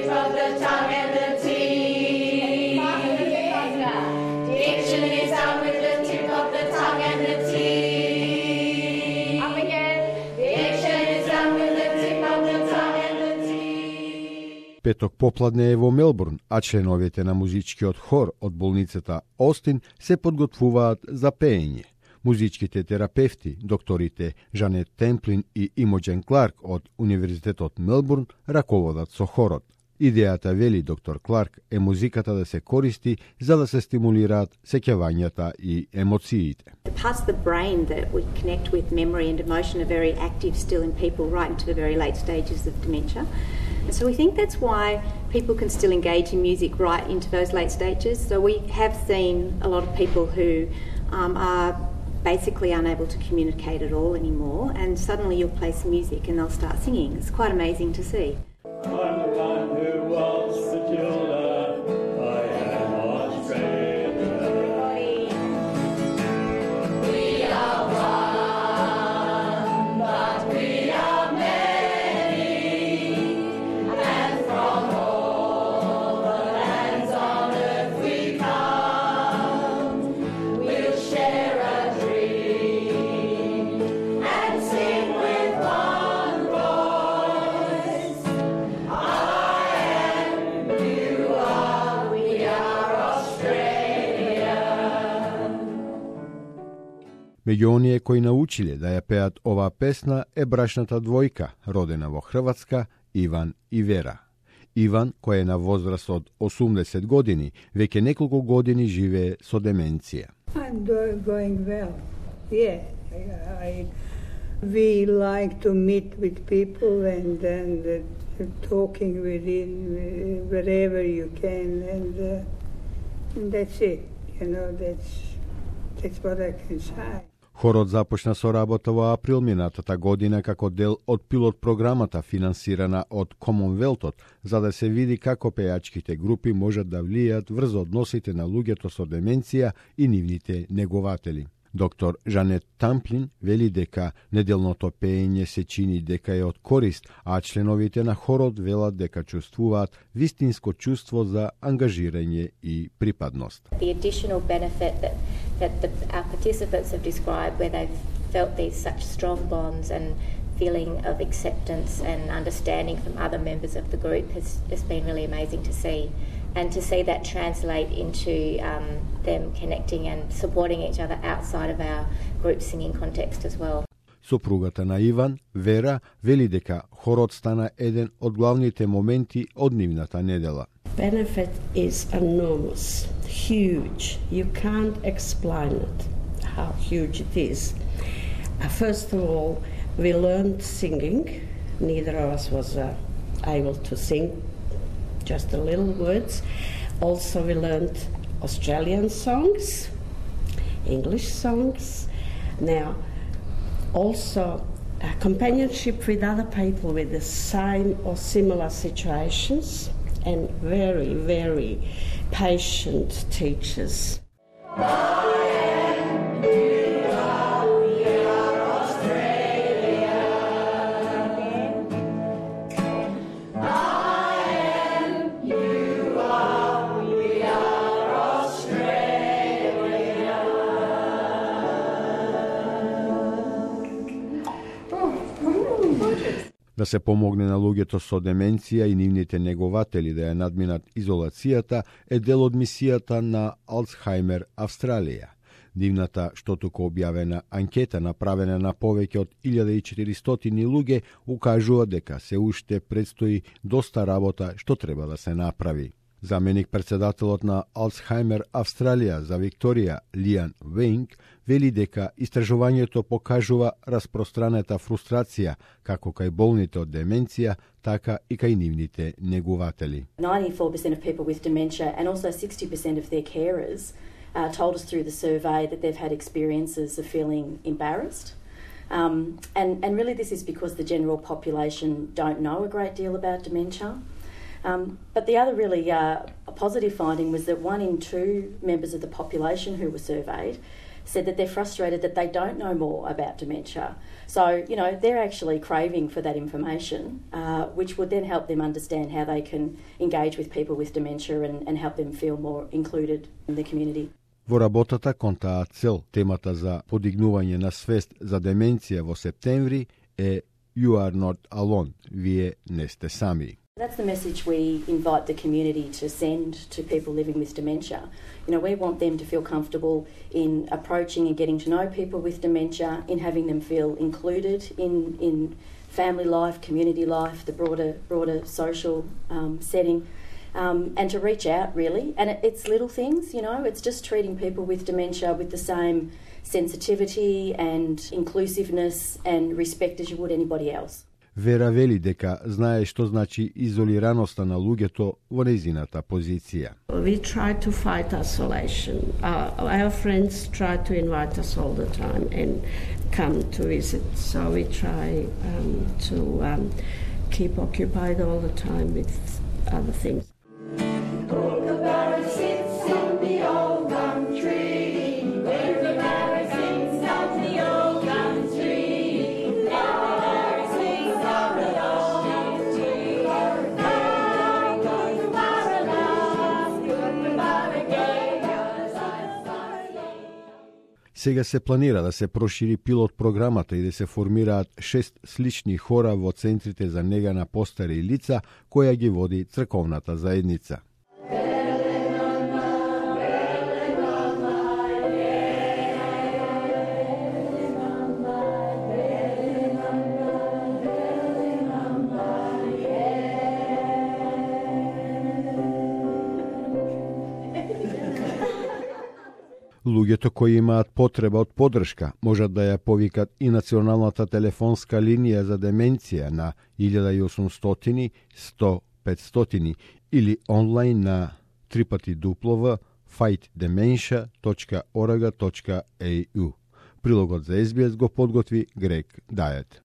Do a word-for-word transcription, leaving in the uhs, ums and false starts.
tip of the tongue and the teeth. Diction is done with the tip of the tongue and the teeth. Up again. Diction is done with the tip of the tongue and the teeth. Петок попладне е во Мелбурн, а членовите на музичкиот хор од болницата Остин се подготвуваат за пеење. Музичките терапевти, докторите Жанет Темплин и Имоджен Кларк од Универзитетот Мелбурн раководат со хорот. Идејата, вели доктор Кларк, е музиката да се користи за да се стимулираат сеќавањата и емоциите. The parts of the brain that we connect with memory and emotion are very active still in people right into the very late stages of dementia. So we think that's why people can still engage in music right into those late stages. So we have seen a lot of people who um, are basically unable to communicate at all anymore, and suddenly you'll play some music and they'll start singing. It's quite amazing to see. I'm the one who was the Matilda. I am Australia. We are one, but we are many, and from all the lands on earth we come. We'll share a dream and sing with one voice. I am, you are, we are Australia. Меѓу оние кои научиле да ја пеат оваа песна е брашната двојка, родена во Хрватска, Иван и Вера. Иван, кој е на возраст од осумдесет години, веќе неколку години живее со деменција. I'm do- going well. Yeah, I, I, we like to meet with people and and uh, talking with it uh, wherever you can, and, uh, and that's it. You know, that's that's what I can say. Хорот започна со работа во април минатата година како дел од пилот програмата финансирана од Комонвелтот, за да се види како пејачките групи можат да влијаат врз односите на луѓето со деменција и нивните негователи. Доктор Жанет Тамплин вели дека неделното пеење се чини дека е од корист, а членовите на хорот велат дека чувствуваат вистинско чувство за ангажирање и припадност. The additional benefit that, that the, our participants have described, where they've felt these such strong bonds and feeling of acceptance and understanding from other members of the group has, has been really amazing to see. And to see that translate into um, them connecting and supporting each other outside of our group singing context as well. Сопругата на Иван, Вера, вели дека хорот стана еден од главните моменти од нивната недела. Benefit is enormous, huge. You can't explain it, how huge it is. Uh, first of all, we learned singing. Neither of us was uh, able to sing, just a little words. Also, we learned Australian songs, English songs. Now, also uh, companionship with other people with the same or similar situations, and very, very patient teachers. Да се помогне на луѓето со деменција и нивните негователи да ја надминат изолацијата е дел од мисијата на Алцхаймер Австралија. Дивната штотука објавена анкета направена на повеќе од илјада и четиристотини луѓе укажува дека се уште предстои доста работа што треба да се направи. Заменик председателот на Алцхаймер Австралија за Викторија, Лиан Вейнг, вели дека истражувањето покажува распространета фрустрација како кај болните од деменција, така и кај нивните негуватели. ninety-four percent of people with dementia and also sixty percent of their carers uh, told us through the survey that they've had experiences of feeling embarrassed. Um, and, and really this is because the general population don't know a great deal about dementia. Um, but the other really uh, positive finding was that one in two members of the population who were surveyed said that they're frustrated that they don't know more about dementia. So, you know, they're actually craving for that information, uh, which would then help them understand how they can engage with people with dementia and, and help them feel more included in the community. Во работата кон таа цел, темата за подигнување на свест за деменција во септември е You are not alone, вие не сте сами. That's the message we invite the community to send to people living with dementia. You know, we want them to feel comfortable in approaching and getting to know people with dementia, in having them feel included in, in family life, community life, the broader broader social um, setting, um, and to reach out really. And it, it's little things, you know, it's just treating people with dementia with the same sensitivity and inclusiveness and respect as you would anybody else. Вера вели дека знае што значи изолираноста на луѓето во нејзината позиција. We try to fight isolation. Uh, our friends try to invite us all the time and come to visit. So we try um, to um, keep occupied all the time with other things. Kookaburra sits in the old gum tree. Kookaburra sings of the old gum tree. Kookaburra sings of the old gum tree. Kookaburra loves, Kookaburra gave us life. Сега се планира да се прошири пилот програмата и да се формираат шест слични хора во центрите за нега на постари лица, која ги води црковната заедница. Луѓето кои имаат потреба од подршка можат да ја повикат и националната телефонска линија за деменција на илјада и осумстотини сто петстотини или онлайн на три пати дуплова fight dementia точка org точка a u. Прилогот за Ес Би Ес го подготви Грег Дајет.